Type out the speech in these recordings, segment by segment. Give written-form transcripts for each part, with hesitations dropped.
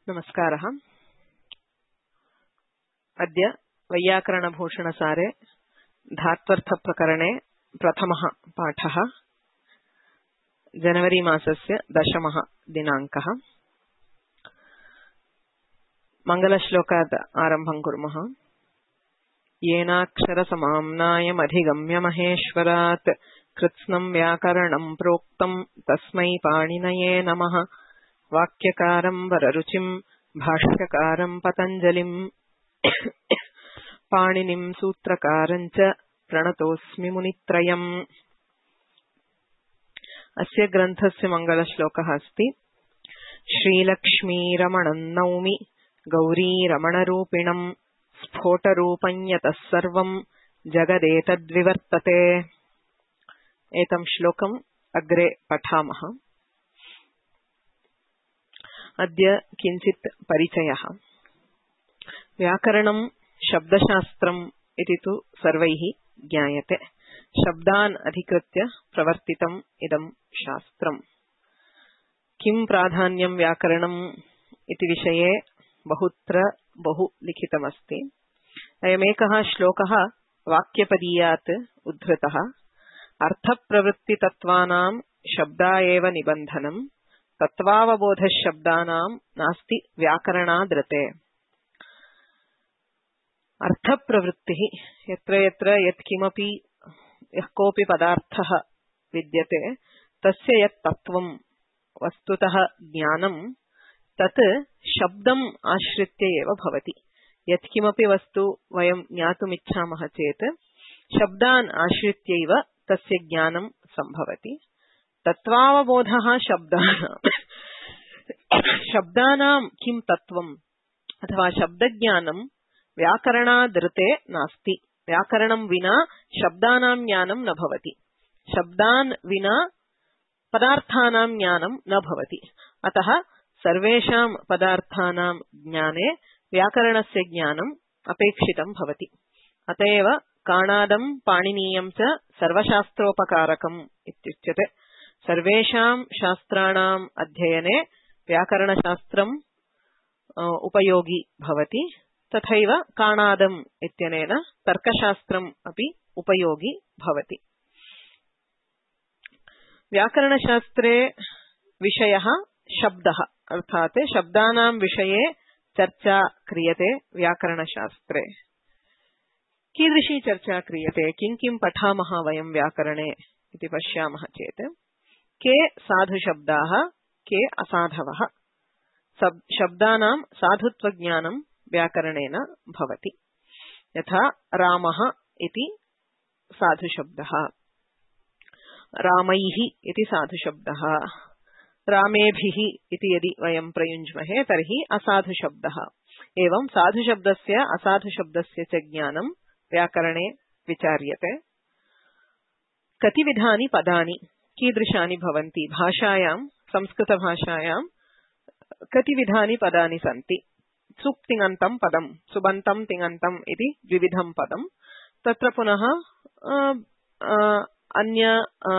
नमस्कारः। अद्य वैयाकरणभूषणसारे धात्वर्थप्रकरणे प्रथमः पाठः। जनवरी मासस्य 10 दिनाङ्कः। मङ्गलश्लोकात् आरम्भं कुर्मः। येनाक्षरसमाम्नायमधिगम्य महेश्वरात् कृत्स्नं व्याकरणं प्रोक्तं तस्मै पाणिनये नमः। वाक्यकारं वररुचिं भाष्यकारं पतञ्जलिं पाणिनिं सूत्रकारं च प्रणतोऽस्मि मुनित्रयम्। अस्य ग्रन्थस्य मङ्गलश्लोकः अस्ति। श्रीलक्ष्मीरमणं नौमि गौरीरमणरूपिणं स्फोटरूपं यतः सर्वं जगदेतद्विवर्तते। एतं श्लोकम् अग्रे पठामः। अद्य किञ्चित् परिचयः। व्याकरणं शब्दशास्त्रम् इति तु सर्वैः ज्ञायते। शब्दान् अधिकृत्य प्रवर्तितम् इदं शास्त्रम्। किं प्राधान्यं व्याकरणम् इति विषये बहुत्र बहु लिखितमस्ति। अयमेकः श्लोकः वाक्यपदीयात् उद्धृतः। अर्थप्रवृत्तितत्त्वानां शब्दा एव निबन्धनम् तत्त्वावबोधशब्दानां नास्ति व्याकरणादृते। अर्थप्रवृत्तिः यत्र यत्र यत्किमपि यः कोऽपि पदार्थः विद्यते तस्य यत् तत्त्वं वस्तुतः ज्ञानं तत् शब्दम् आश्रित्य एव भवति। यत्किमपि वस्तु वयं ज्ञातुमिच्छामः चेत् शब्दान् आश्रित्यैव तस्य ज्ञानं सम्भवति। तत्त्वावबोधः शब्दानां किं तत्त्वम् अथवा शब्दज्ञानं व्याकरणादृते नास्ति। व्याकरणं विना शब्दानां ज्ञानं न भवति। शब्दान् विना पदार्थानां ज्ञानं न भवति। अतः सर्वेषां पदार्थानां ज्ञाने व्याकरणस्य ज्ञानम् अपेक्षितं भवति। अतएव काणादं पाणिनीयं च सर्वशास्त्रोपकारकम् इत्युच्यते। सर्वेषां शास्त्राणाम् अध्ययने व्याकरणशास्त्रम् उपयोगी भवति। तथैव काणादम् इत्यनेन तर्कशास्त्रम् अपि उपयोगी भवति। व्याकरणशास्त्रे विषयः शब्दः, अर्थात् शब्दानां विषये चर्चा क्रियते व्याकरणशास्त्रे। कीदृशी चर्चा क्रियते, किं किं पठामः वयं व्याकरणे इति पश्यामः चेत् के साधुशब्दाः, के असाधवः। शब्दानां साधुत्वज्ञानं व्याकरणेन भवति। यथा रामः इति साधुशब्दः, रामैः इति साधुशब्दः, रामेभिः इति यदि वयं प्रयुञ्ज्महे तर्हि असाधुशब्दः। एवं साधुशब्दस्य असाधुशब्दस्य च ज्ञानं व्याकरणे विचार्यते। कति विधानि पदानि कीदृशानि भवन्ति। भाषायां, संस्कृतभाषायां कति विधानि पदानि सन्ति। सुप् तिङन्तं पदं, सुबन्तं तिङन्तम् इति द्विविधं पदं। तत्र पुनः अन्य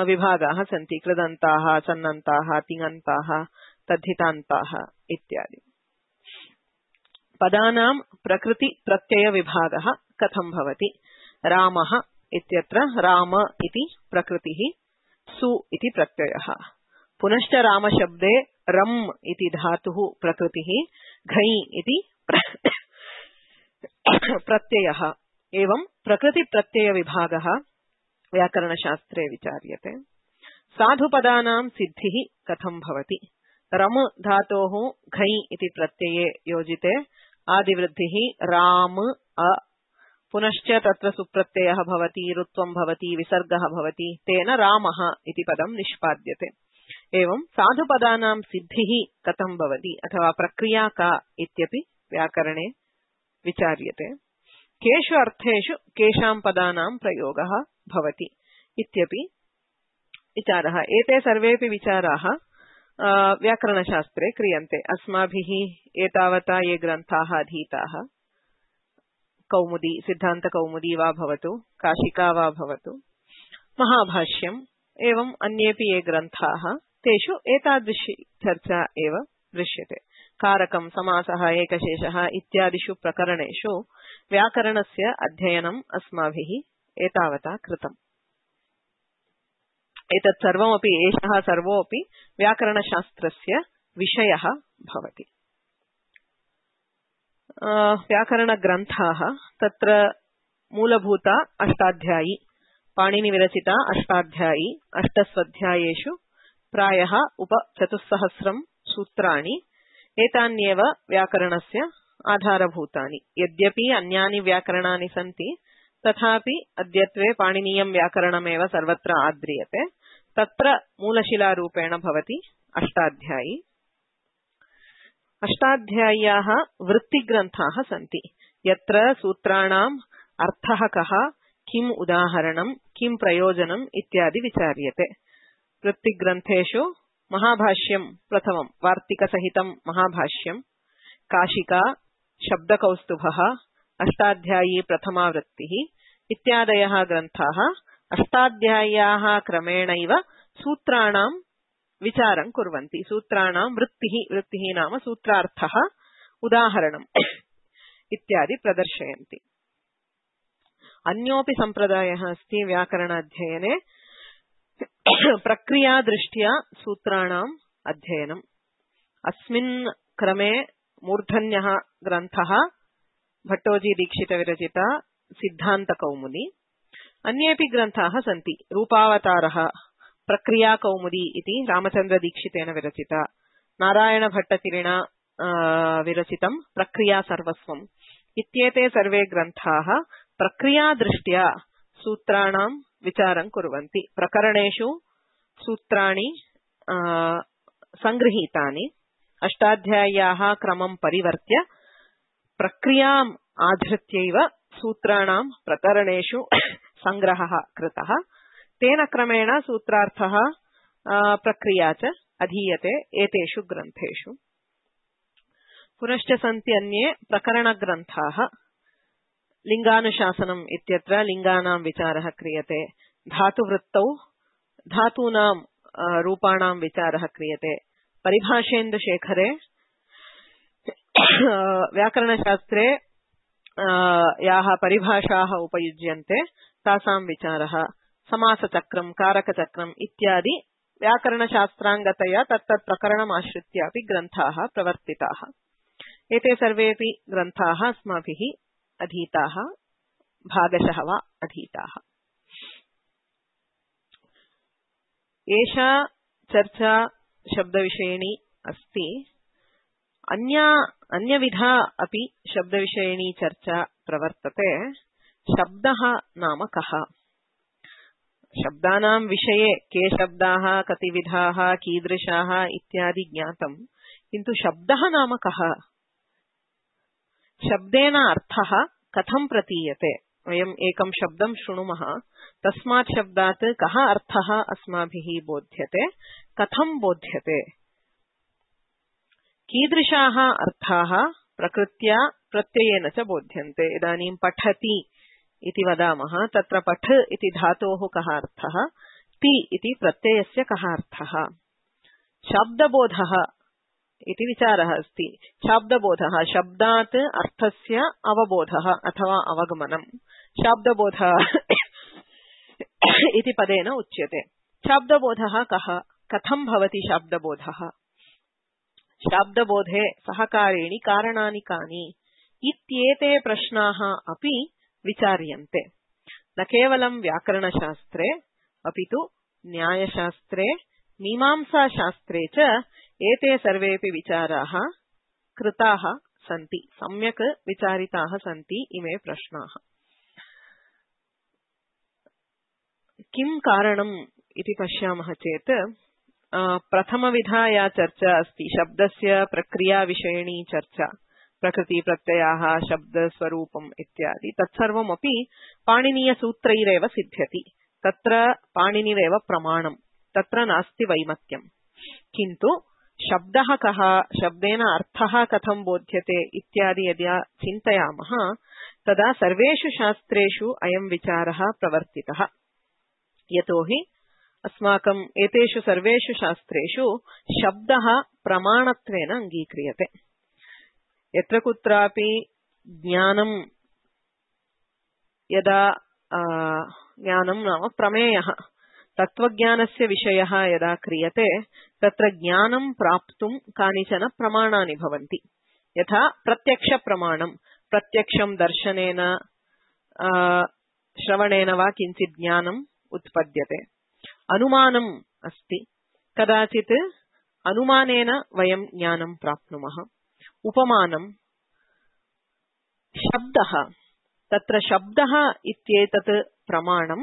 विभागाः सन्ति। कृदन्ताः, सन्नन्ताः, तिङन्ताः, तद्धितान्ताः इत्यादि। पदानां प्रकृतिप्रत्ययविभागः कथं भवति। रामः इत्यत्र राम इति प्रकृतिः, सु इति प्रत्ययः। पुनश्च रामशब्दे रम् इति धातुः प्रकृतिः, घञ् इति प्रत्ययः। एवं प्रकृतिप्रत्ययविभागः व्याकरणशास्त्रे विचार्यते। साधुपदानां सिद्धिः कथं भवति। रम धातोः घञ् इति प्रत्यये योजिते आदिवृद्धिः राम अ, पुनश्च तत्र सुप्रत्ययः भवति, रुत्वं भवति, विसर्गः भवति, तेन रामः इति पदं निष्पाद्यते। एवं साधुपदानां सिद्धिः कथं भवति अथवा प्रक्रिया का इत्यपि व्याकरणे विचार्यते। केषु अर्थेषु केषां पदानां प्रयोगः भवति इत्यपि विचारः। एते सर्वेपि विचाराः व्याकरणशास्त्रे क्रियन्ते। अस्माभिः एतावता ये ग्रन्थाः अधीताः, कौमुदी, सिद्धान्तकौमुदी वा भवतु, काशिका वा भवतु, महाभाष्यम्, एवं अन्येपि ये ग्रन्थाः, तेषु एतादृशी चर्चा एव दृश्यते। कारकं समासः एकशेषः इत्यादिषु प्रकरणेषु व्याकरणस्य अध्ययनम् अस्माभिः एतावता कृतम्। एतत् सर्वमपि एषः सर्वोऽपि व्याकरणशास्त्रस्य विषयः भवति। व्याकरणग्रन्थाः तत्र मूलभूता अष्टाध्यायी, पाणिनिविरचिता अष्टाध्यायी, अष्टस्वध्यायेषु प्रायः 400 सूत्राणि, एतान्येव व्याकरणस्य आधारभूतानि। यद्यपि अन्यानि व्याकरणानि सन्ति तथापि अद्यत्वे पाणिनीयं व्याकरणमेव सर्वत्र आद्रियते। तत्र मूलशिलारूपेण भवति अष्टाध्यायी। अष्टाध्याय्याः वृत्तिग्रन्थाः सन्ति, यत्र सूत्राणाम् अर्थः कः, किम् उदाहरणं, किं प्रयोजनम् इत्यादि विचार्यते। वृत्तिग्रन्थेषु महाभाष्यं प्रथमं, वार्तिकसहितं महाभाष्यं, काशिका, शब्दकौस्तुभः, अष्टाध्यायी प्रथमा वृत्तिः इत्यादयः ग्रन्थाः अष्टाध्याय्याः क्रमेणैव सूत्राणां विचारं कुर्वन्ति। सूत्राणां वृत्तिः नाम सूत्रार्थः, उदाहरणम् इत्यादि प्रदर्शयन्ति। अन्योऽपि सम्प्रदायः अस्ति व्याकरणाध्ययने प्रक्रियादृष्ट्या सूत्राणाम् अध्ययनम्। अस्मिन् क्रमे मूर्धन्यः ग्रन्थः भट्टोजी दीक्षितविरचिता सिद्धान्तकौमुदी। अन्येऽपि ग्रन्थाः सन्ति। रूपावतारः, प्रक्रियाकौमुदी इति रामचन्द्रदीक्षितेन विरचिता, नारायणभट्टतिरिणा विरचितं प्रक्रियासर्वस्वम् इत्येते सर्वे ग्रन्थाः प्रक्रियादृष्ट्या सूत्राणां विचारं कुर्वन्ति। प्रकरणेषु सूत्राणि संगृहीतानि, अष्टाध्याय्याः क्रमं परिवर्त्य प्रक्रियाम् आधृत्यैव सूत्राणां प्रकरणेषु संग्रहः कृतः। तेन क्रमेण सूत्रार्थः प्रक्रिया च अधीयते एतेषु ग्रन्थेषु। पुनश्च सन्ति अन्ये प्रकरणग्रन्थाः। लिङ्गानुशासनम् इत्यत्र लिङ्गानां विचारः क्रियते। धातुवृत्तौ धातूनां रूपाणां विचारः क्रियते। परिभाषेन्दुशेखरे व्याकरणशास्त्रे याः परिभाषाः उपयुज्यन्ते तासां विचारः, समासचक्रं, कारकचक्रम् इत्यादि व्याकरणशास्त्राङ्गतया तत्तत् प्रकरणमाश्रित्यापि ग्रन्थाः प्रवर्तिताः। एते सर्वेऽपि ग्रन्थाः अस्माभिः अधीताः, भागशः वा अधीताः। एषा चर्चा शब्दविषयिणी अस्ति। अन्यविधा अपि शब्दविषयिणी चर्चा प्रवर्तते। शब्दः नाम कः? शब्दानां विषये के शब्दाः, कति विधाः, कीदृशाः इत्यादि ज्ञातम्, किन्तु शब्दः नाम कः? शब्देन अर्थः कथं प्रतीयते? वयम् एकं शब्दं शृणुमः, तस्मात् शब्दात् कः अर्थः अस्माभिः बोध्यते, कथं बोध्यते? कीदृशाः अर्थाः प्रकृत्या प्रत्ययेन च बोध्यन्ते? इदानीं पठति इति वदामः, तत्र पठ इति धातोः कः अर्थः, ति इति प्रत्ययस्य कः अर्थः? शाब्दबोधः इति विचारः अस्ति। शाब्दबोधः शब्दात् अर्थस्य अवबोधः अथवा अवगमनम्। शाब्दबोधः इति पदेन उच्यते। शाब्दबोधः कः, कथं भवति शाब्दबोधः? शाब्दबोधे सहकारीणि कारणानि कानि इत्येते प्रश्नाः अपि विचार्यन्ते। न केवलं व्याकरणशास्त्रे अपि तु न्यायशास्त्रे, मीमांसाशास्त्रे च एते सर्वेपि विचाराः कृताः सन्ति, सम्यक् विचारिताः सन्ति इमे प्रश्नाः। किं कारणम् इति पश्यामः चेत् प्रथमविधा या चर्चा अस्ति, शब्दस्य प्रक्रियाविषयिणी चर्चा, प्रकृतिप्रत्ययाः, शब्दस्वरूपम् इत्यादि, तत्सर्वमपि पाणिनीयसूत्रैरेव सिद्ध्यति। तत्र पाणिनिरेव प्रमाणम्, तत्र नास्ति वैमत्यम्। किन्तु शब्दः कः, शब्देन अर्थः कथं बोध्यते इत्यादि यदा चिन्तयामः तदा सर्वेषु शास्त्रेषु अयं विचारः प्रवर्तितः। यतोहि अस्माकम् एतेषु सर्वेषु शास्त्रेषु शब्दः प्रमाणत्वेन अङ्गीक्रियते। यत्र कुत्रापि ज्ञानं यदा ज्ञानं नाम प्रमेयः तत्त्वज्ञानस्य विषयः यदा क्रियते तत्र ज्ञानं प्राप्तुं कानिचन प्रमाणानि भवन्ति। यथा प्रत्यक्षप्रमाणं, प्रत्यक्षं दर्शनेन श्रवणेन वा किञ्चित् ज्ञानम् उत्पद्यते। अनुमानम् अस्ति, कदाचित् अनुमानेन वयं ज्ञानं प्राप्नुमः। उपमानं, शब्दः, तत्र शब्दः इत्येतत् प्रमाणं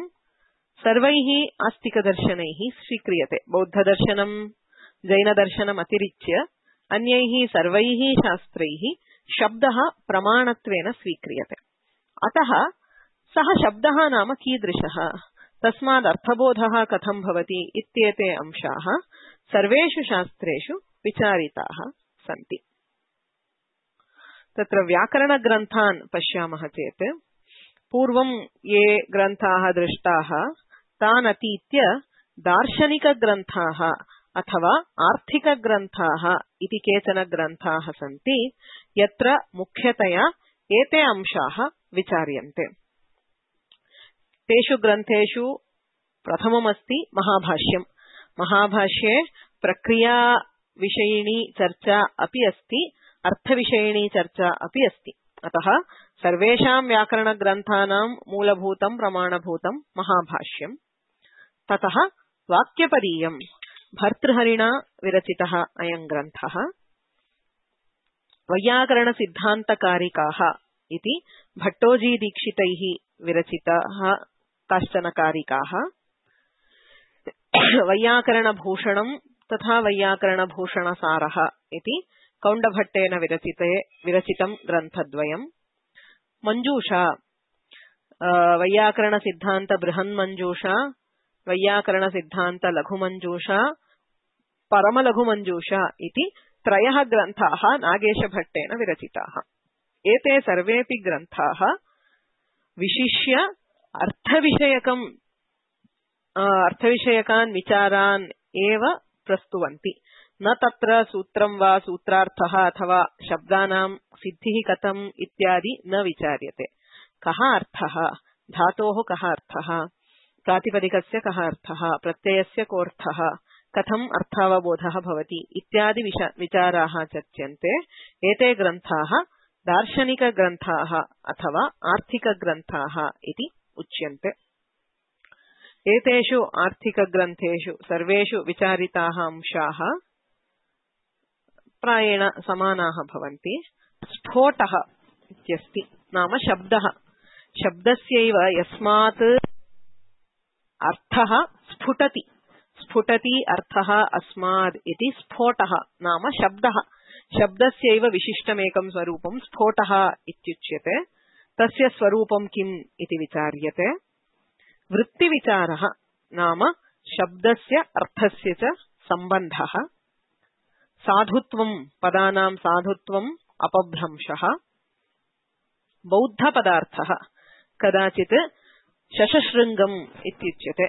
सर्वैः आस्तिकदर्शनैः स्वीक्रियते। बौद्धदर्शनं जैनदर्शनम् अतिरिच्य अन्यैः सर्वैः शास्त्रैः शब्दः प्रमाणत्वेन स्वीक्रियते। अतः सः शब्दः नाम कीदृशः, तस्माद् अर्थबोधः कथं भवति इत्येते अंशाः सर्वेषु शास्त्रेषु विचारिताः सन्ति। तत्र व्याकरणग्रन्थान् पश्यामः चेत् पूर्वं ये ग्रन्थाः दृष्टाः तान् अतीत्य दार्शनिकग्रन्थाः अथवा आर्थिकग्रन्थाः इति केचन ग्रन्थाः सन्ति, यत्र मुख्यतया एते अंशाः विचार्यन्ते। तेषु ग्रन्थेषु प्रथममस्ति महाभाष्यम्। महाभाष्ये प्रक्रियाविषयिणी चर्चा अपि अस्ति, अर्थविषयिणी चर्चा अपि अस्ति। अतः सर्वेषां व्याकरणग्रन्थानां मूलभूतं प्रमाणभूतं महाभाष्यम्। ततः वाक्यपदीयम्, भर्तृहरिणा विरचितः अयं ग्रन्थः। वैयाकरणसिद्धान्तकारिकाः इति भट्टोजीदीक्षितैः विरचिताः काश्चन कारिकाः। वैयाकरणभूषणं तथा वैयाकरणभूषणसारः इति कौण्डभट्टेन विरचितं ग्रन्थद्वयम्। मञ्जूषा, वैयाकरणसिद्धान्त बृहन्मञ्जूषा, वैयाकरणसिद्धान्त लघुमञ्जूषा, परमलघुमञ्जूषा इति त्रयः ग्रन्थाः नागेशभट्टेन विरचिताः। एते सर्वेऽपि ग्रन्थाः विशिष्य अर्थविषयकान् विचारान् एव प्रस्तुवन्ति। न तत्र सूत्रं वा सूत्रार्थः अथवा शब्दानां सिद्धिः कथम् इत्यादि न विचार्यते। कः अर्थः, धातोः कः अर्थः, प्रातिपदिकस्य कः अर्थः, प्रत्ययस्य कोऽर्थः, कथम् अर्थावबोधः भवति इत्यादि विचाराः चर्च्यन्ते। एते ग्रन्थाः दार्शनिकग्रन्थाः अथवा आर्थिकग्रन्थाः इति उच्यन्ते। एतेषु आर्थिकग्रन्थेषु सर्वेषु विचारिताः अंशाः प्रायेण समानाः भवन्ति। स्फोटः इत्यस्ति, नाम शब्दः, शब्दस्यैव यस्मात् अर्थः स्फुटति, स्फुटति अर्थः अस्माद् इति स्फोटः नाम शब्दः। शब्दस्यैव विशिष्टमेकं स्वरूपं स्फोटः इत्युच्यते। तस्य स्वरूपं किम् इति विचार्यते। वृत्तिविचारः नाम शब्दस्य अर्थस्य च सम्बन्धः। साधुत्वं, पदानां साधुत्वम् अपभ्रंशः। बौद्धपदार्थः, कदाचित् शशशृङ्गम् इत्युच्यते।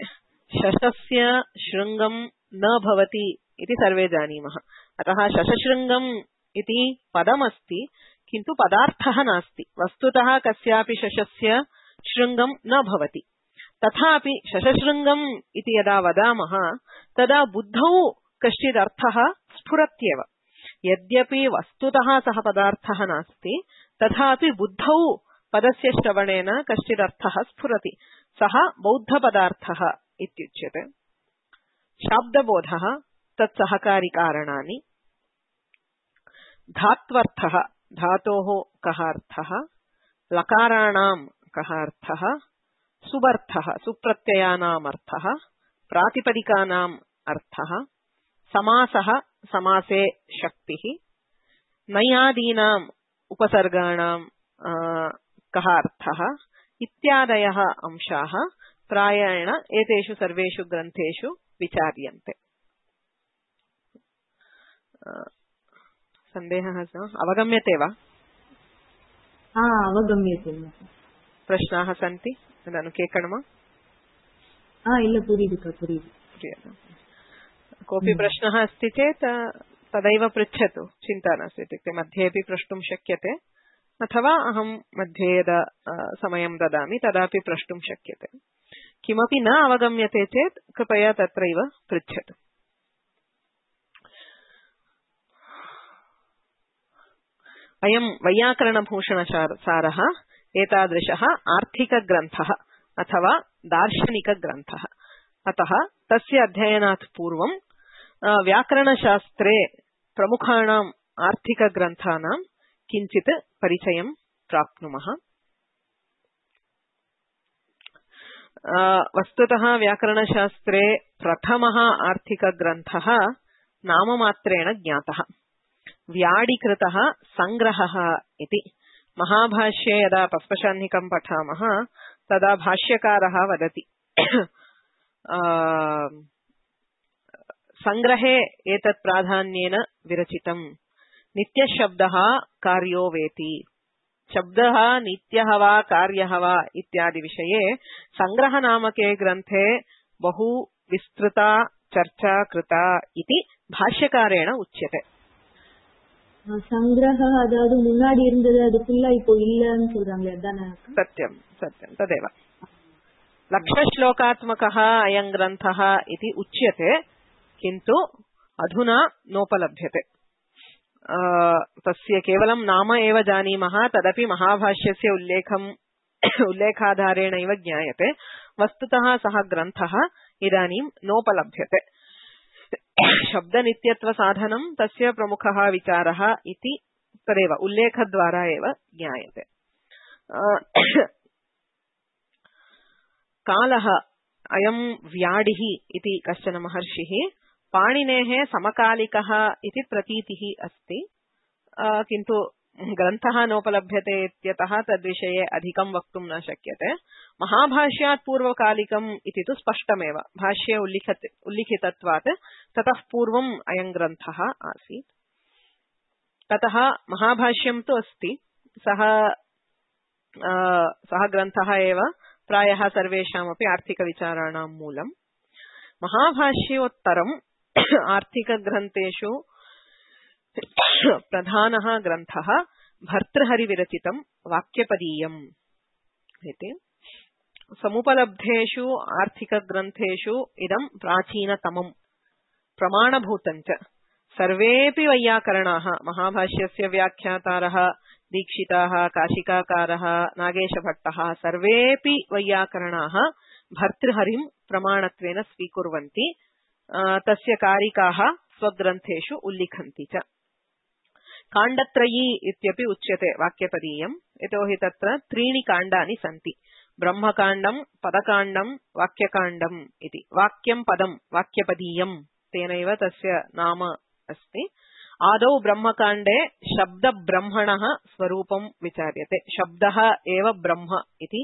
शशस्य शृङ्गं न भवति इति सर्वे जानीमः। अतः शशशृङ्गम् इति पदमस्ति, किन्तु पदार्थः नास्ति। वस्तुतः कस्यापि शशस्य शृङ्गं न भवति। तथापि शशशृङ्गम् इति यदा वदामः तदा बुद्धौ कश्चिदर्थः स्फुरत्येव। यद्यपि वस्तुतः सः पदार्थः नास्ति, तथापि बुद्धौ पदस्य श्रवणेन कश्चिदर्थः स्फुरति। सः बौद्धपदार्थः इत्युच्यते। शाब्दबोधः, तत्सहकारिकारणानि। धात्वर्थः, धातोः कः अर्थः, लकाराणां कः अर्थः, सुबर्थः, सुप्रत्ययानाम् अर्थः, प्रातिपदिकानाम् अर्थः, समासः, समासे शक्तिः, नैयादीनाम् उपसर्गाणां कः अर्थः इत्यादयः अंशाः प्रायेण एतेषु सर्वेषु ग्रन्थेषु विचार्यन्ते। सन्देहः अवगम्यते वा? अवगम्यते। प्रश्नाः सन्ति? केकणमा? ಇಲ್ಲ ಪುರಿದು क्रियताम्। कोऽपि प्रश्नः अस्ति चेत् तदैव पृच्छतु, चिन्ता नास्ति। इत्युक्ते मध्येऽपि प्रष्टुं शक्यते अथवा अहं मध्ये यदा समयं ददामि तदापि प्रष्टुं शक्यते। किमपि न अवगम्यते चेत् कृपया तत्रैव पृच्छतु। अयं वैयाकरणभूषणसारः एतादृशः आर्थिकग्रन्थः अथवा दार्शनिकग्रन्थः। अतः तस्य अध्ययनात् पूर्वं व्याकरणशास्त्रे प्रमुखाणाम् आर्थिकग्रन्थानां किञ्चित् परिचयं प्राप्नुमः। वस्तुतः व्याकरणशास्त्रे प्रथमः आर्थिकग्रन्थः नाममात्रेण ज्ञातः, व्याडिकृतः संग्रहः इति। महाभाष्ये यदा पस्पशाह्निकं पठामः तदा भाष्यकारः वदति संग्रहे एतत् प्राधान्येन विरचितम्, नित्यशब्दः कार्यो वेति। शब्दः नित्यः वा कार्यः वा इत्यादि विषये संग्रहनामके ग्रन्थे बहु विस्तृता चर्चा कृता इति भाष्यकारेण उच्यते। संग्रहः अदावदु मुन्नाडि इरुंददु अदु फुल्ला इप्पो इल्लनु सोल्रांगले अदाना? सत्यं सत्यं तदेव। लक्षश्लोकात्मकः अयं ग्रन्थः इति उच्यते, किन्तु अधुना नोपलभ्यते। तस्य केवलं नाम एव जानीमः, तदपि महाभाष्यस्य उल्लेखाधारेणैव ज्ञायते। वस्तुतः सः ग्रन्थः इदानीं नोपलभ्यते। शब्दनित्यत्वसाधनं तस्य प्रमुखः विचारः इति तदेव उल्लेखद्वारा एव ज्ञायते। कालः अयं व्याडिः इति कश्चन महर्षिः पाणिनेः समकालिकः इति प्रतीतिः अस्ति, किन्तु ग्रन्थः नोपलभ्यते इत्यतः तद्विषये अधिकं वक्तुं न शक्यते। महाभाष्यात् पूर्वकालिकम् इति तु स्पष्टमेव, भाष्ये उल्लिखितत्वात् ततः पूर्वम् अयं ग्रन्थः आसीत्। ततः महाभाष्यं तु अस्ति, सः ग्रन्थः एव प्रायः सर्वेषामपि आर्थिकविचाराणां मूलम्। महाभाष्योत्तरम् आर्थिकग्रन्थेषु प्रधानः ग्रन्थः भर्तृहरिविरचितं वाक्यपदीयम् इति। समुपलब्धेषु आर्थिकग्रन्थेषु इदं प्राचीनतमं प्रमाणभूतञ्च। सर्वेऽपि वैयाकरणाः, महाभाष्यस्य व्याख्यातारः दीक्षिताः, काशिकाकारः, नागेशभट्टः, सर्वेऽपि वैयाकरणाः भर्तृहरिं प्रमाणत्वेन स्वीकुर्वन्ति, तस्य कारिकाः स्वग्रन्थेषु उल्लिखन्ति च। काण्डत्रयी इत्यपि उच्यते वाक्यपदीयम्, यतोहि तत्र 3 काण्डानि सन्ति, ब्रह्मकाण्डं, पदकाण्डं, वाक्यकाण्डम् इति। वाक्यं पदं वाक्यपदीयम्, तेनैव तस्य नाम अस्ति। आदौ ब्रह्मकाण्डे शब्दब्रह्मणः स्वरूपं विचार्यते। शब्दः एव ब्रह्म इति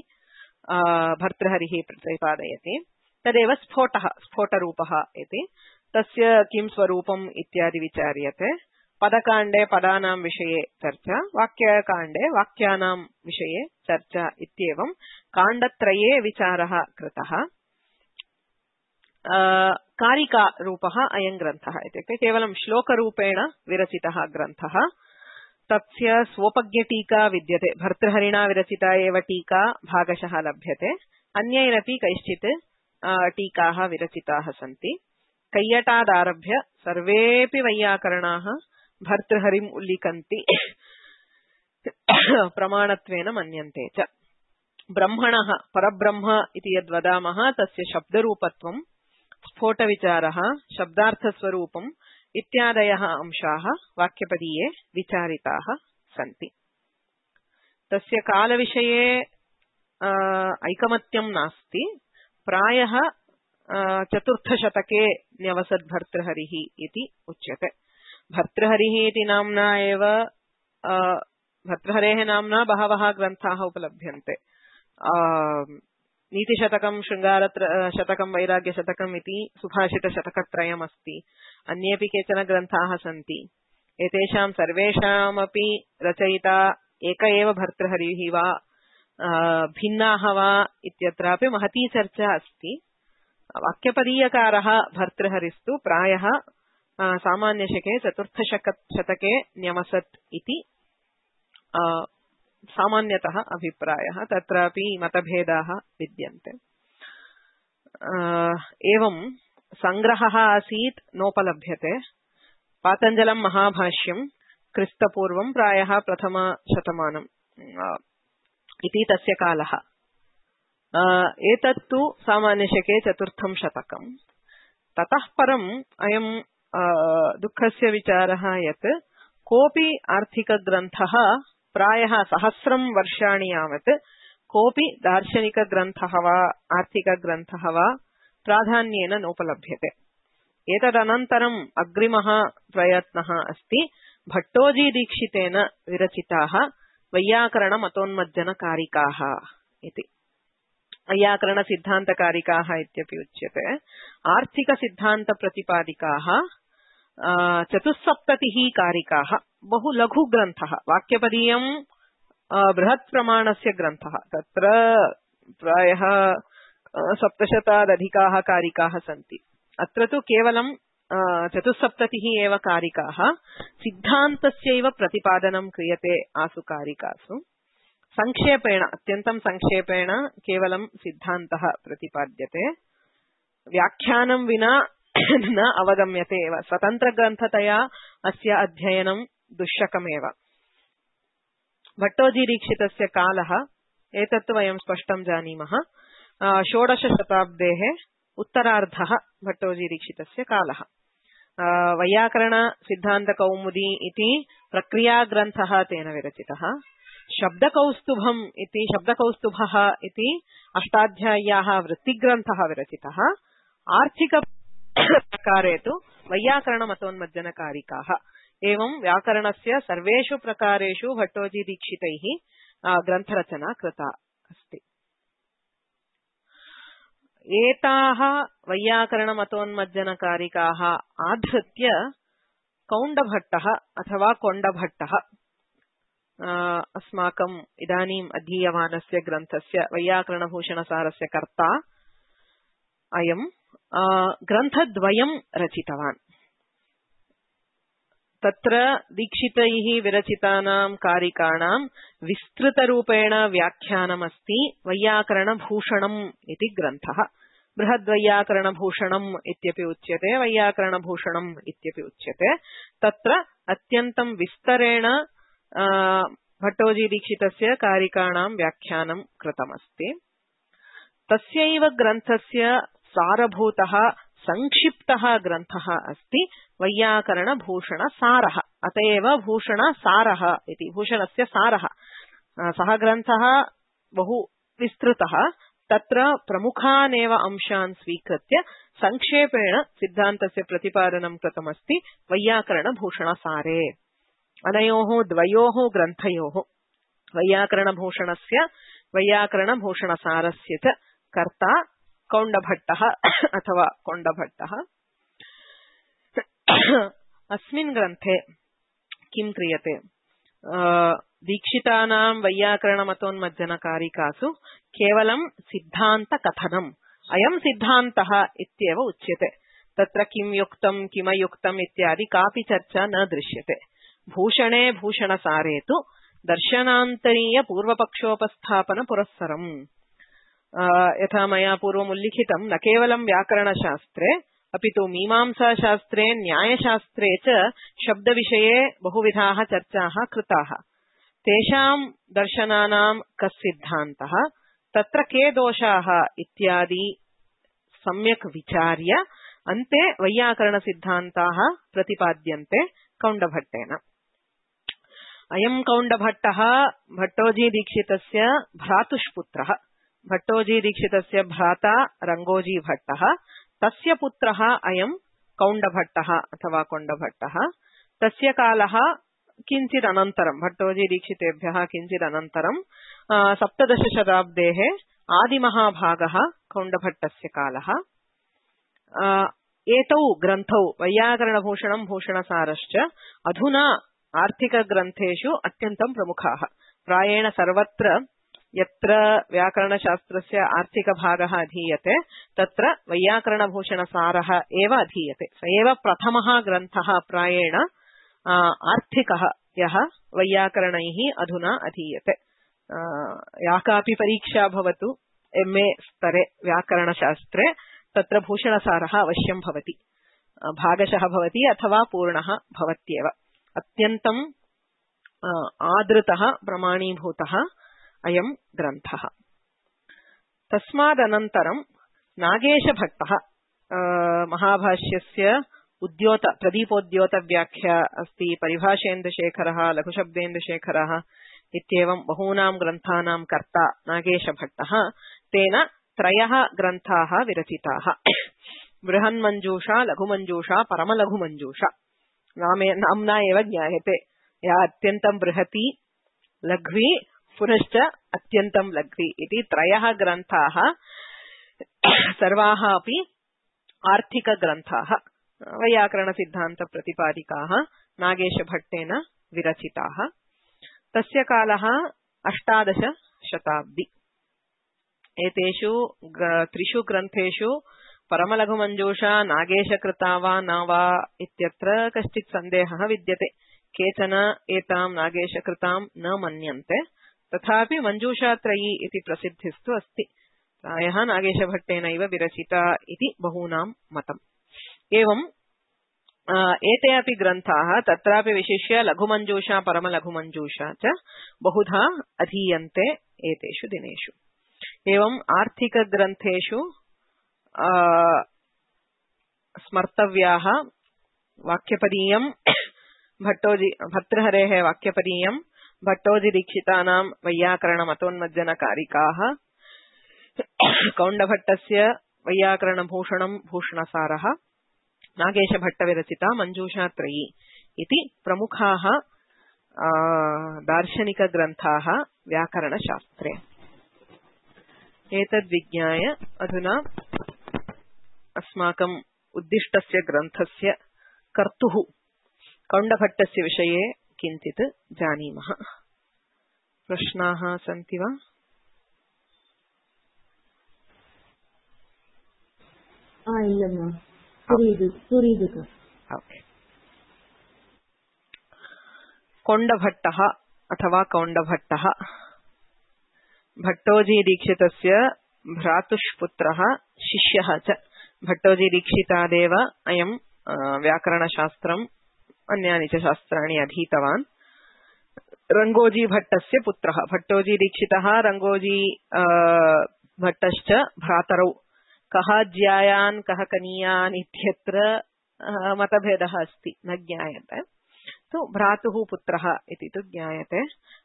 भर्तृहरिः प्रतिपादयति। तदेव स्फोटरूपः इति। तस्य किं स्वरूपम् इत्यादि विचार्यते। पदकाण्डे पदानां विषये चर्चा, वाक्यकाण्डे वाक्यानां विषये चर्चा इत्येवं काण्डत्रये विचारः कृतः। कारिकारूपः अयं ग्रन्थः, इत्युक्ते केवलं श्लोकरूपेण विरचितः ग्रन्थः। तस्य स्वोपज्ञटीका विद्यते, भर्तृहरिणा विरचिता एव टीका भागशः लभ्यते। अन्यैरपि कैश्चित् टीकाः विरचिताः सन्ति। कैयटादारभ्य सर्वेऽपि वैयाकरणाः भर्तृहरिम् उल्लिखन्ति, प्रमाणत्वेन मन्यन्ते च। ब्रह्मणः परब्रह्म इति यद्वदामः तस्य शब्दरूपत्वं, स्फोटविचारः, शब्दार्थस्वरूपम् इत्यादयः अंशाः वाक्यपदीये विचारिताः सन्ति। तस्य कालविषये ऐकमत्यं नास्ति। प्रायः 4th शतके न्यवसत् भर्तृहरिः इति उच्यते। भर्तृहरिः इति नाम्ना एव भर्तृहरेः नाम्ना बहवः ग्रन्थाः उपलभ्यन्ते। नीतिशतकं, शृङ्गारशतकं, वैराग्यशतकम् इति सुभाषितशतकत्रयमस्ति। अन्येऽपि केचन ग्रन्थाः सन्ति। एतेषां सर्वेषामपि रचयिता एक एव भर्तृहरिः वा भिन्नाः वा इत्यत्रापि महती चर्चा अस्ति। वाक्यपदीयकारः भर्तृहरिस्तु प्रायः सामान्यशके चतुर्थशतके न्यमसत् इति सामान्यतः अभिप्रायः। तत्रापि मतभेदाः विद्यन्ते। एवं संग्रहः आसीत् नोपलभ्यते। पातञ्जलं महाभाष्यं क्रिस्तपूर्वं प्रायः प्रथमशतमानम् इति तस्य कालः। एतत्तु सामान्यशके चतुर्थं शतकम्। ततः परम् अयं दुःखस्य विचारः यत् कोऽपि आर्थिकग्रन्थः प्रायः 1000 वर्षाणि यावत् कोऽपि दार्शनिकग्रन्थः वा आर्थिकग्रन्थः वा प्राधान्येन नोपलभ्यते। एतदनन्तरम् अग्रिमः प्रयत्नः अस्ति भट्टोजीदीक्षितेन विरचिताः वैयाकरणमतोन्मज्जनकारिकाः इति। वैयाकरणसिद्धान्तकारिकाः इत्यपि उच्यते। आर्थिकसिद्धान्तप्रतिपादिकाः 74 कारिकाः। बहु लघुग्रन्थः। वाक्यपदीयं बृहत् प्रमाणस्य ग्रन्थः। तत्र प्रायः 700 कारिकाः सन्ति। अत्र तु केवलं 74 एव कारिकाः। सिद्धान्तस्यैव प्रतिपादनं क्रियते आसु कारिकासु। संक्षेपेण, अत्यन्तं संक्षेपेण केवलं सिद्धान्तः प्रतिपाद्यते। व्याख्यानं विना न अवगम्यते एव। स्वतन्त्रग्रन्थतया अस्य अध्ययनं दुष्शकमेव। भट्टोजीदीक्षितस्य कालः एतत् वयं स्पष्टं जानीमः। 16 शताब्देः उत्तरार्धः भट्टोजीदीक्षितस्य कालः। वैयाकरणसिद्धान्तकौमुदी इति प्रक्रियाग्रन्थः तेन विरचितः। शब्दकौस्तुभः इति अष्टाध्याय्याः वृत्तिग्रन्थः विरचितः। आर्थिकप्रकारे तु वैयाकरणमतोन्मज्जनकारिकाः। एवं व्याकरणस्य सर्वेषु प्रकारेषु भट्टोजीदीक्षितैः ग्रन्थरचना कृता अस्ति। एताः वैयाकरणमतोन्मज्जनकारिकाः आधृत्य कौण्डभट्टः अथवा कोण्डभट्टः अस्माकम् इदानीम् अधीयमानस्य ग्रन्थस्य वैयाकरणभूषणसारस्य कर्ता अयं ग्रन्थद्वयं रचितवान्। तत्र दीक्षितैः विरचितानां कारिकाणां विस्तृतरूपेण व्याख्यानमस्ति वैयाकरणभूषणम् इति ग्रन्थः। बृहद्वैयाकरणभूषणम् इत्यपि उच्यते, वैयाकरणभूषणम् इत्यपि उच्यते। तत्र अत्यन्तं विस्तरेण भट्टोजीदीक्षितस्य कारिकाणां व्याख्यानं कृतमस्ति। तस्यैव ग्रन्थस्य सारभूतः संक्षिप्तः ग्रन्थः अस्ति वैयाकरणभूषणसारः। अत एव भूषणसारः इति, भूषणस्य सारः। सः ग्रन्थः बहु विस्तृतः। तत्र प्रमुखानेव अंशान् स्वीकृत्य संक्षेपेण सिद्धान्तस्य प्रतिपादनं कृतमस्ति वैयाकरणभूषणसारे। अनयोः द्वयोः ग्रन्थयोः, वैयाकरणभूषणस्य वैयाकरणभूषणसारस्य च कर्ता कौण्डभट्टः अथवा कोण्डभट्टः। अस्मिन् ग्रन्थे किं क्रियते? दीक्षितानां वैयाकरणमतोन्मज्जनकारिकासु केवलं सिद्धान्तकथनम्। अयं सिद्धान्तः इत्येव उच्यते। तत्र किं युक्तं किमयुक्तम् इत्यादि कापि चर्चा न दृश्यते। भूषणे भूषणसारे तु दर्शनान्तरीय पूर्वपक्षोपस्थापन पुरस्सरम्। यथा मया पूर्वमुल्लिखितं, न केवलं व्याकरणशास्त्रे अपि तु मीमांसाशास्त्रे न्यायशास्त्रे च शब्दविषये बहुविधाः चर्चाः कृताः। तेषां दर्शनानां कः सिद्धान्तः, तत्र के दोषाः इत्यादि सम्यक् विचार्य अन्ते वैयाकरणसिद्धान्ताः प्रतिपाद्यन्ते कौण्डभट्टेन। अयं कौण्डभट्टः भट्टोजीदीक्षितस्य भ्रातुष्पुत्रः। भट्टोजीदीक्षितस्य भ्राता रङ्गोजीभट्टः, तस्य पुत्रः अयं कौण्डभट्टः अथवा कोण्डभट्टः। तस्य कालः किञ्चिदनन्तरं, भट्टोजीदीक्षितेभ्यः किञ्चिदनन्तरं 17 शताब्देः आदिमहाभागः कौण्डभट्टस्य कालः। एतौ ग्रन्थौ वैयाकरणभूषणं भूषणसारश्च अधुना आर्थिकग्रन्थेषु अत्यन्तं प्रमुखाः। प्रायेण सर्वत्र यत्र व्याकरणशास्त्रस्य आर्थिकभागः अधीयते तत्र वैयाकरणभूषणसारः एव अधीयते। स एव प्रथमः ग्रन्थः प्रायेण आर्थिकः यः वैयाकरणैः अधुना अधीयते। या कापि परीक्षा भवतु MA स्तरे व्याकरणशास्त्रे तत्र भूषणसारः अवश्यं भवति, भागशः भवति अथवा पूर्णः भवत्येव। अत्यन्तम् आदृतः प्रमाणीभूतः अयं ग्रन्थः। तस्मादनन्तरं नागेशभट्टः महाभाष्यस्य प्रदीपोद्योतव्याख्या अस्ति, परिभाषेन्दुशेखरः, लघुशब्देन्दुशेखरः इत्येवं बहूनां ग्रन्थानां कर्ता नागेशभट्टः। तेन 3 ग्रन्थाः विरचिताः, बृहन्मञ्जूषा, लघुमञ्जूषा, परमलघुमञ्जूषा। नाम्ना एव ज्ञायते, या अत्यन्तं बृहती, लघ्वी, पुनश्च अत्यन्तं लघ्वी इति 3 ग्रन्थाः, सर्वाः अपि आर्थिकग्रन्थाः, वैयाकरणसिद्धान्तप्रतिपादिकाः, नागेशभट्टेन विरचिताः। तस्य कालः 18 शताब्दी। एतेषु 3 ग्रन्थेषु परमलघुमञ्जूषा नागेशकृता वा न वा इत्यत्र कश्चित् सन्देहः विद्यते। केचन एतां नागेशकृतां न मन्यन्ते, तथापि मञ्जूषात्रयी इति प्रसिद्धिस्तु अस्ति। प्रायः नागेशभट्टेनैव विरचिता इति बहूनां मतम्। एवं एते अपि ग्रन्थाः तत्रापि विशिष्य लघुमञ्जूषा, परमलघुमञ्जूषा च बहुधा अधीयन्ते एतेषु दिनेषु। एवम् आर्थिकग्रन्थेषु स्मर्तव्याः वाक्यपदीयं भर्तृहरेः वाक्यपदीयं, भट्टोजिदीक्षितानां वैयाकरणमतोन्मज्जनकारिकाः, कौण्डभट्टस्य वैयाकरणभूषणं भूषणसारः, नागेशभट्टविरचिता मञ्जूषात्रयी इति प्रमुखाः दार्शनिकग्रन्थाः व्याकरणशास्त्रे। एतद्विज्ञाय अधुना अस्माकम् उद्दिष्टस्य ग्रन्थस्य कर्तुः कौण्डभट्टस्य विषये किञ्चित् जानीमः। प्रश्नाः सन्ति वा? कौण्डभट्टः अथवा कौण्डभट्टः भट्टोजीदीक्षितस्य भ्रातुष्पुत्रः, शिष्यः च। भट्टोजीदीक्षितादेव अयं व्याकरणशास्त्रम् अन्यानि च शास्त्राणि अधीतवान्। रङ्गोजीभट्टस्य पुत्रः। भट्टोजीदीक्षितः रङ्गोजी भट्टश्च भ्रातरौ। कः ज्यायान् कः कनीयान् इत्यत्र मतभेदः अस्ति, न ज्ञायते। तु भ्रातुः पुत्रः इति तु ज्ञायते।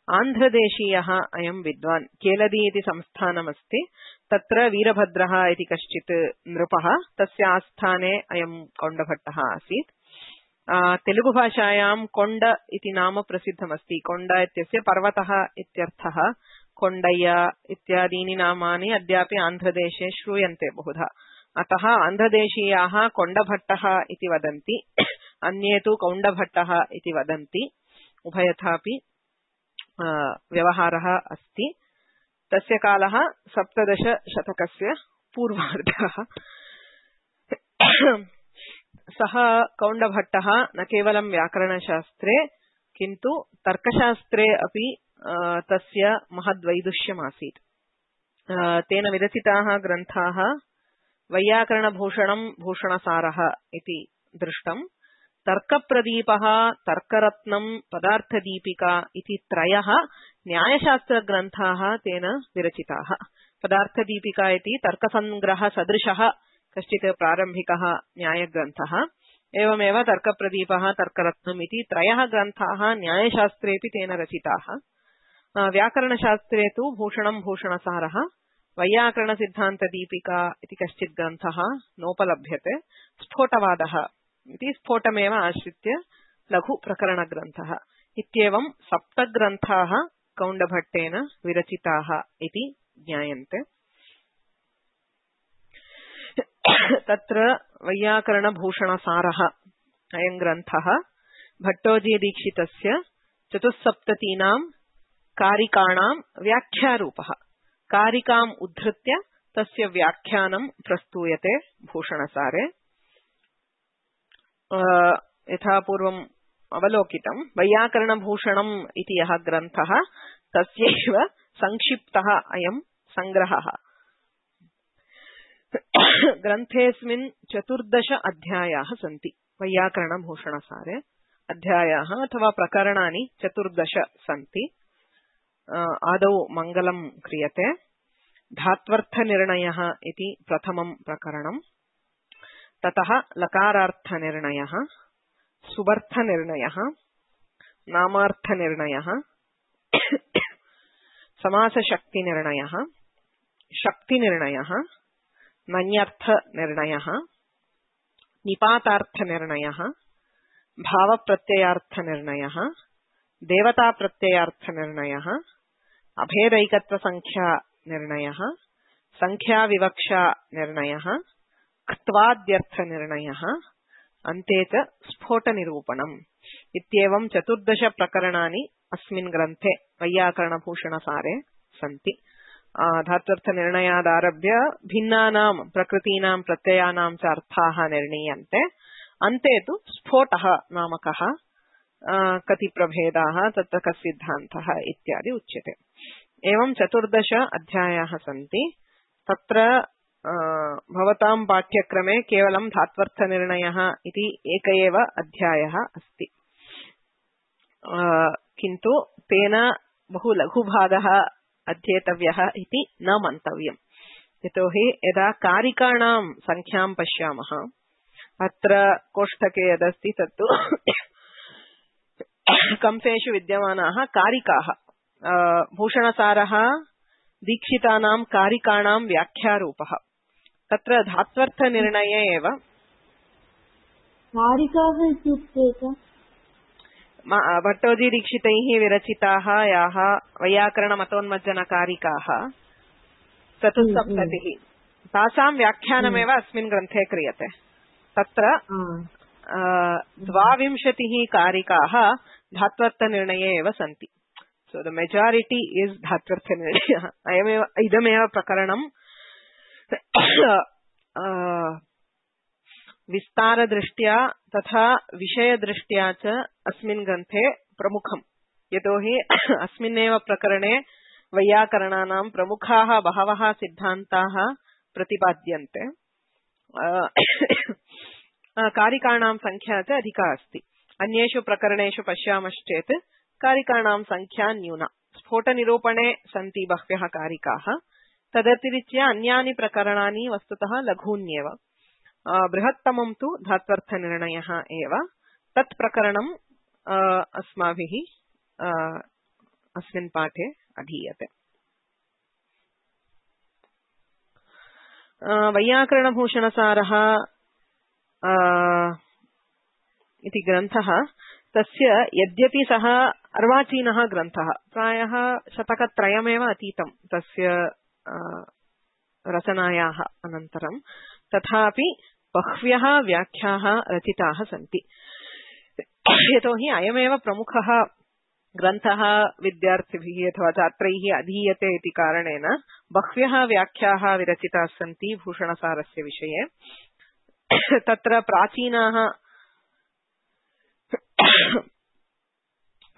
आन्ध्रदेशीयः अयं विद्वान्। केलदी इति संस्थानमस्ति, तत्र वीरभद्रः इति कश्चित् नृपः, तस्य आस्थाने अयं कौण्डभट्टः आसीत्। तेलुगुभाषायां कोण्ड इति नाम प्रसिद्धमस्ति। कोण्ड इत्यस्य पर्वतः इत्यर्थः। कोण्डय्य इत्यादीनि नामानि अद्यापि आन्ध्रदेशे श्रूयन्ते बहुधा। अतः आन्ध्रदेशीयाः कोण्डभट्टः इति वदन्ति, अन्ये तु कौण्डभट्टः इति वदन्ति। उभयथापि व्यवहारः अस्ति। तस्य कालः 17 शतकस्य पूर्वार्धः। सः कौण्डभट्टः न केवलं व्याकरणशास्त्रे किन्तु तर्कशास्त्रे अपि तस्य महद्वैदुष्यमासीत्। तेन विरचिताः ग्रन्थाः वैयाकरणभूषणं भूषणसारः इति दृष्टम्, तर्कप्रदीपः, तर्करत्नं, पदार्थदीपिका इति 3 न्यायशास्त्रग्रन्थाः तेन विरचिताः। पदार्थदीपिका इति तर्कसङ्ग्रहसदृशः कश्चित् प्रारम्भिकः न्यायग्रन्थः। एवमेव तर्कप्रदीपः, तर्करत्नम् इति 3 ग्रन्थाः न्यायशास्त्रेऽपि तेन रचिताः। व्याकरणशास्त्रे तु भूषणं भूषणसारः, वैयाकरणसिद्धान्तदीपिका इति कश्चित् ग्रन्थः नोपलभ्यते। स्फोटवादः इति स्फोटमेव आश्रित्य लघुप्रकरणग्रन्थः। इत्येवं 7 ग्रन्थाः कौण्डभट्टेन विरचिताः इति ज्ञायन्ते। तत्र वैयाकरणभूषणसारः अयं ग्रन्थः भट्टोजीदीक्षितस्य 74 कारिकाणां व्याख्यारूपः कारिकाम् उद्धृत्य तस्य व्याख्यानं प्रस्तूयते भूषणसारे यथा पूर्वम् अवलोकितं वैयाकरणभूषणम् इति यः ग्रन्थः तस्यैव संक्षिप्तः अयं संग्रहः ग्रन्थेऽस्मिन् 14 अध्यायाः सन्ति वैयाकरणभूषणसारे अध्यायाः अथवा प्रकरणानि 14 सन्ति आदौ मङ्गलं क्रियते धात्वर्थनिर्णयः इति प्रथमं प्रकरणम् ततः लकारार्थनिर्णयः सुबर्थनिर्णयः नामार्थनिर्णयः समासशक्तिनिर्णयः शक्तिनिर्णयः नञ्यर्थनिर्णयः निपातार्थनिर्णयः भावप्रत्ययार्थनिर्णयः देवताप्रत्ययार्थनिर्णयः अभेदैकत्वसंख्यानिर्णयः संख्याविवक्षानिर्णयः क्त्वाद्यर्थनिर्णयः अन्ते च स्फोटनिरूपणम् इत्येवं 14 प्रकरणानि अस्मिन् ग्रन्थे वैयाकरणभूषणसारे सन्ति धात्वर्थनिर्णयादारभ्य भिन्नानां प्रकृतीनां प्रत्ययानां च अर्थाः निर्णीयन्ते अन्ते तु स्फोटः नामकः कति प्रभेदाः तत्र कः सिद्धान्तः इत्यादि उच्यते एवं 14 अध्यायाः सन्ति तत्र भवतां पाठ्यक्रमे केवलं धात्वर्थनिर्णयः इति एक एव अध्यायः अस्ति किन्तु तेन बहु लघुभागः अध्येतव्यः इति न मन्तव्यम् यतोहि यदा कारिकाणां संख्यां पश्यामः अत्र कोष्ठके यदस्ति तत्तु कंसेषु विद्यमानाः कारिकाः भूषणसारः दीक्षितानां कारिकाणां व्याख्यारूपः तत्र धात्वर्थनिर्णये एव कारिकाः इत्युक्ते भट्टोजी दीक्षितैः विरचिताः याः वैयाकरणमतोन्मज्जनकारिकाः 74 तासां व्याख्यानमेव अस्मिन् ग्रन्थे क्रियते तत्र 22 कारिकाः धात्वर्थनिर्णये एव सन्ति सो द मेजॉरिटी इज धात्वर्थनिर्णयः इदमेव प्रकरणं विस्तारदृष्ट्या तथा विषयदृष्ट्या च अस्मिन् ग्रन्थे प्रमुखम् यतोहि अस्मिन्नेव प्रकरणे वैयाकरणानां प्रमुखाः बहवः सिद्धान्ताः प्रतिपाद्यन्ते कारिकाणां संख्या च अधिका अस्ति अन्येषु प्रकरणेषु पश्यामश्चेत् कारिकाणां संख्या न्यूना स्फोटनिरूपणे सन्ति बह्व्यः कारिकाः तदतिरिच्य अन्यानि प्रकरणानि वस्तुतः लघून्येव बृहत्तमं तु धात्वर्थनिर्णयः एव तत् प्रकरणम् अस्माभिः अस्मिन् पाठे अधीयते वैयाकरणभूषणसारः इति ग्रन्थः तस्य यद्यपि सः अर्वाचीनः ग्रन्थः प्रायः शतकत्रयमेव अतीतं तस्य रचनायाः अनन्तरं तथापि बह्व्यः व्याख्याः रचिताः सन्ति यतोहि अयमेव प्रमुखः ग्रन्थः विद्यार्थिभिः अथवा छात्रैः अधीयते इति कारणेन बह्व्यः व्याख्याः विरचिताः सन्ति भूषणसारस्य विषये तत्र प्राचीनाः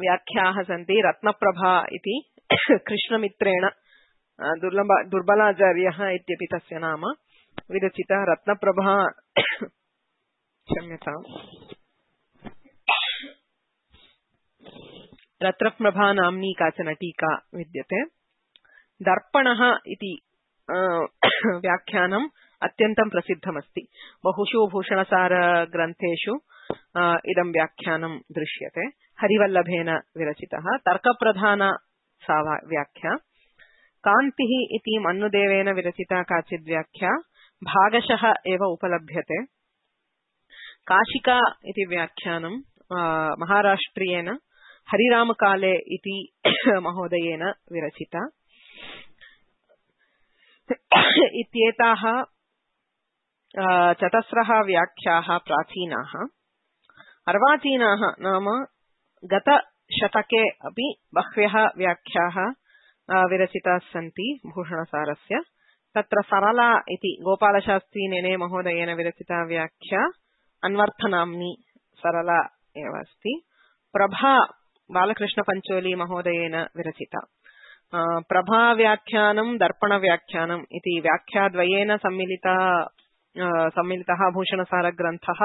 व्याख्याः सन्ति रत्नप्रभा इति कृष्णमित्रेण दुर्बलाचार्यः इत्यपि तस्य नाम विरचिता रत्नप्रभा क्षम्यताम् रत्नप्रभा नाम्नी काचन टीका विद्यते दर्पणः इति व्याख्यानम् अत्यन्तं प्रसिद्धमस्ति बहुषु भूषणसार ग्रन्थेषु इदं व्याख्यानं दृश्यते हरिवल्लभेन विरचितः तर्कप्रधाना सा व्याख्या कान्तिः इति मन्नुदेवेन विरचिता काचित् व्याख्या भागशः एव उपलभ्यते काशिका इति व्याख्यानं महाराष्ट्रियेन हरिरामकाले इति महोदयेन विरचिता इत्येताः चतस्रः व्याख्याः प्राचीनाः अर्वाचीनाः नाम गत शतके अपि बह्व्यः व्याख्याः विरचिताः सन्ति भूषणसारस्य। तत्र सरला इति गोपालशास्त्री नेने महोदयेन विरचिता व्याख्या अन्वर्थनाम्नी सरला एव अस्ति। प्रभा बालकृष्णपञ्चोली महोदयेन विरचिता। प्रभाव्याख्यानं दर्पणव्याख्यानम् इति व्याख्याद्वयेन सम्मिलितः भूषणसारग्रन्थः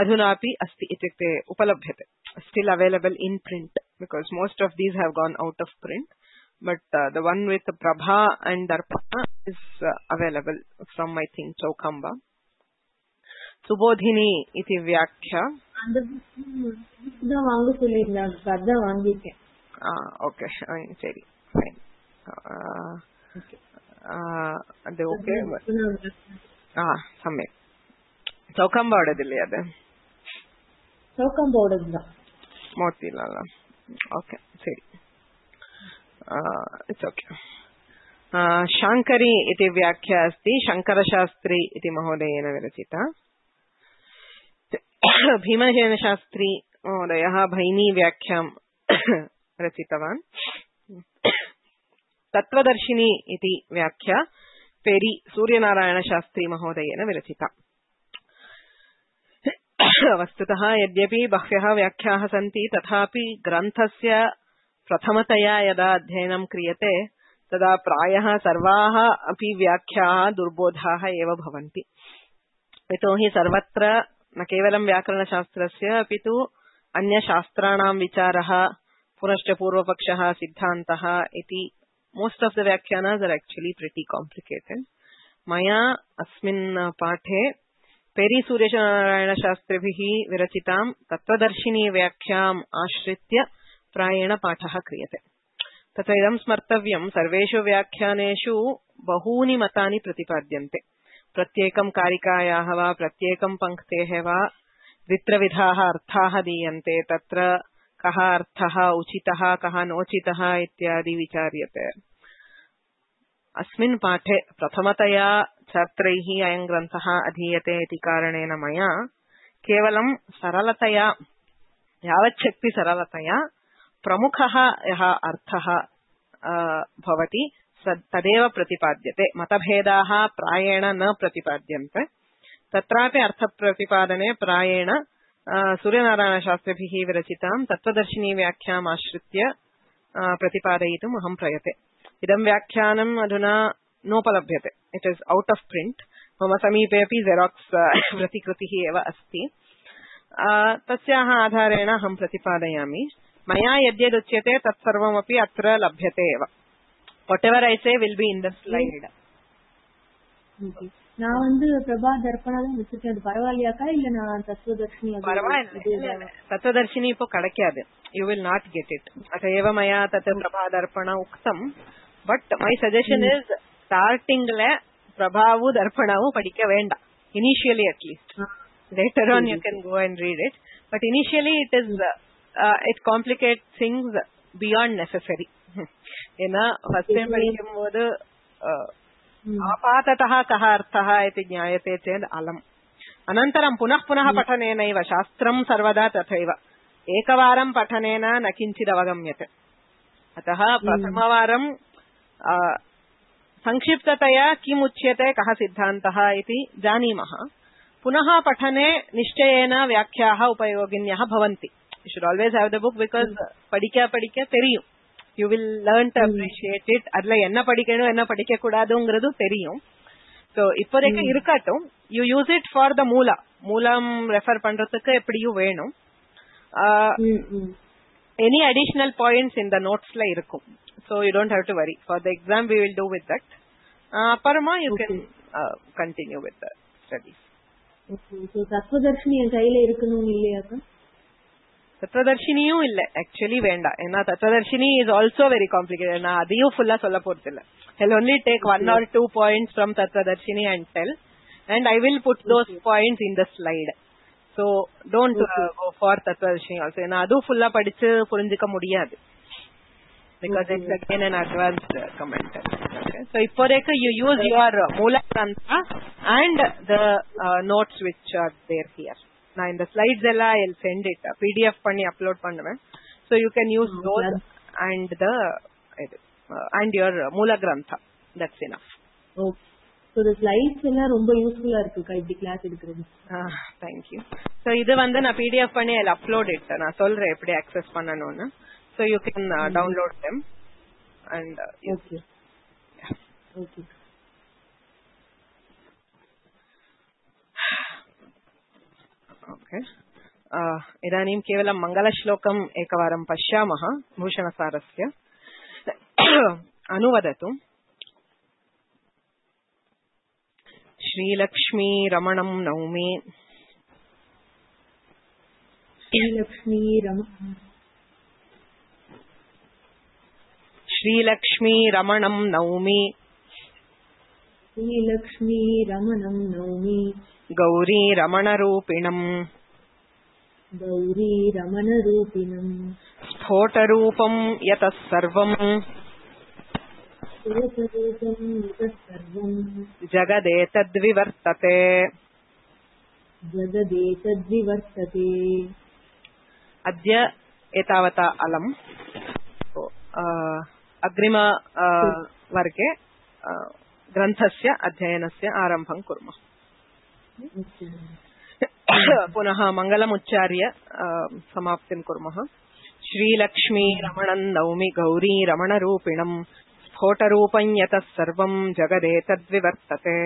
अधुनापि अस्ति इत्युक्ते उपलभ्यते, still available in print because most of these have gone out of print, but the one with Prabha and Darpana is available from I think Chaukamba. Subodhini iti vyakya andha vaanga solliranga adha vaangiten. Okay, seri fine. Okay adu okay samyak Chaukamba odadilla adu Chaukamba odadilla Motilala. Okay, seri. It's okay. Shankari iti vyakya asti Shankarashastri iti mahodayena virachita. Bhimasena Shastri mahodayah Bhaini vyakhyam rachitavan. Tattvadarshini iti vyakya Peri Suryanarayana Shastri mahodayena virachita. वस्तुतः यद्यपि बह्व्यः व्याख्याः सन्ति तथापि ग्रन्थस्य प्रथमतया यदा अध्ययनं क्रियते तदा प्रायः सर्वाः अपि व्याख्याः दुर्बोधाः एव भवन्ति। यतोहि सर्वत्र न केवलं व्याकरणशास्त्रस्य अपि तु अन्यशास्त्राणां विचारः पुनश्च पूर्वपक्षः सिद्धान्तः इति मोस्ट ऑफ द व्याख्यानास् आर एक्चुअली प्रिटी कॉम्प्लिकेटेड। मया अस्मिन् पाठे पेरी सूर्यनारायण शास्त्रिभिः विरचितां तत्त्वदर्शिनी व्याख्याम् आश्रित्य प्रायेण पाठः क्रियते। तत्र इदं स्मर्तव्यं सर्वेषु व्याख्यानेषु बहूनि मतानि प्रतिपाद्यन्ते। प्रत्येकं कारिकायाः वा प्रत्येकं पङ्क्तेः वा द्वित्रविधाः अर्थाः दीयन्ते। तत्र कः अर्थः उचितः कः नोचितः इत्यादि विचार्यते। अस्मिन् पाठे प्रथमतया छात्रैः अयं ग्रन्थः अधीयते इति कारणेन मया केवलं सरलतया यावच्छक्ति सरलतया प्रमुखः यः अर्थः भवति तदेव प्रतिपाद्यते। मतभेदाः प्रायेण न प्रतिपाद्यन्ते। तत्रापि अर्थप्रतिपादने प्रायेण सूर्यनारायणशास्त्रिभिः विरचितां तत्त्वदर्शिनी व्याख्याम् आश्रित्य प्रतिपादयितुम् अहं प्रयते। इदं व्याख्यानम् अधुना नोपलभ्यते, इट् इस् औट् आफ् प्रिण्ट्। मम समीपे अपि जेराक्स् प्रतिकृतिः एव अस्ति। तस्याः आधारेण अहं प्रतिपादयामि। मया यद्यदुच्यते तत्सर्वमपि अत्र लभ्यते एव। whatever I say will be in the slide. நான் வந்து பிரபா தர்ப்பணம் தான் வச்சிருக்கேன். அது பரவாயில்லையாக்கா இல்ல நான் தத்துவதர்ஷினி? பரவாயில்லை, தத்துவதர்ஷினி இப்போ கிடைக்காது. You will not get it. अतएव मया तत् प्रभा दर्पण उक्तम. But my suggestion is startingல பிரபாவும் தர்ப்பணமும் படிக்க வேண்டாம். Initially at least. Later on you can go and read it. But initially it complicates things beyond necessary. ஏன்னா ஃபர்ஸ்ட் டைம் படிக்கும்போது आपाततः कः अर्थः इति ज्ञायते चेत् अलम्। अनन्तरं पुनः पुनः पठनेनैव शास्त्रं सर्वदा तथैव एकवारं पठनेन न किञ्चित् अवगम्यते। अतः प्रथमवारं संक्षिप्ततया किम् उच्यते कः सिद्धान्तः इति जानीमः। पुनः पठने निश्चयेन व्याख्याः उपयोगिन्यः भवन्ति। You should always have the book because படிக்க தெரியும். You will learn to appreciate it. adla enna padikkanum enna padikka koodadungradhu theriyum. So ippodekku irukattum, you use it for the moolam refer pandradhukku eppadiyu venum. Any additional points in the notes la irukum, so you don't have to worry. For the exam we will do with that. Parama you can continue with the studies. Okay, so tattvadarshini en kaiyila irukonu illaya? தத்துவதர்ஷினியும் இல்ல, actually வேண்டாம். ஏன்னா தத்துவதர்ஷினி is also very complicated. நான் அதையும் ஃபுல்லா சொல்ல போறது இல்ல. I'll only take 1 or 2 points from தத்துவதர்ஷினி and tell, and I will put those points in the slide. So don't go for தத்துவதர்ஷினி also. ஏன்னா அதுவும் ஃபுல்லா படிச்சு புரிஞ்சுக்க முடியாது. Because it's again an advanced commentary. Okay. So இப்போதைக்கு you use your Moola Grantha and the notes which are there here. நான் இந்த slides எல்லாம் I'll send it PDF பண்ணி upload பண்ணுவேன். So you can use those and the and your Moola Grantha. That's enough. Okay. So the slides எல்லாம் ரொம்ப யூஸ்ஃபுல்லா இருக்குக்கா இப்படி கிளாஸ் எடுக்கிறது. Thank you. So இது வந்து நான் PDF பண்ணி I'll upload it. நான் சொல்றேன் எப்படி access பண்ணனும்னு. So you can download them and okay. Okay. Okay. इदानीं केवलं मङ्गलश्लोकम् एकवारं पश्यामः भूषणसारस्य. अनुवदतु. श्रीलक्ष्मी रमणं नौमि. श्रीलक्ष्मी रमणं नौमि. श्रीलक्ष्मी रमणं नौमि. गौरी रमणरूपिणम्. गौरी रमणरूपिणम्. स्फोटरूपं यतः सर्वम्. जगदेतद्विवर्तते. जगदेतद्विवर्तते. अद्य एतावता अलम्. अग्रिम वर्गे ग्रन्थस्य अध्ययनस्य आरम्भं कुर्मः. पुनः मङ्गलमुच्चार्य समाप्तिं कुर्मः. श्रीलक्ष्मी रमणं नौमि गौरी रमणरूपिणम् स्फोटरूपं यतः सर्वं जगदेतद्विवर्तते.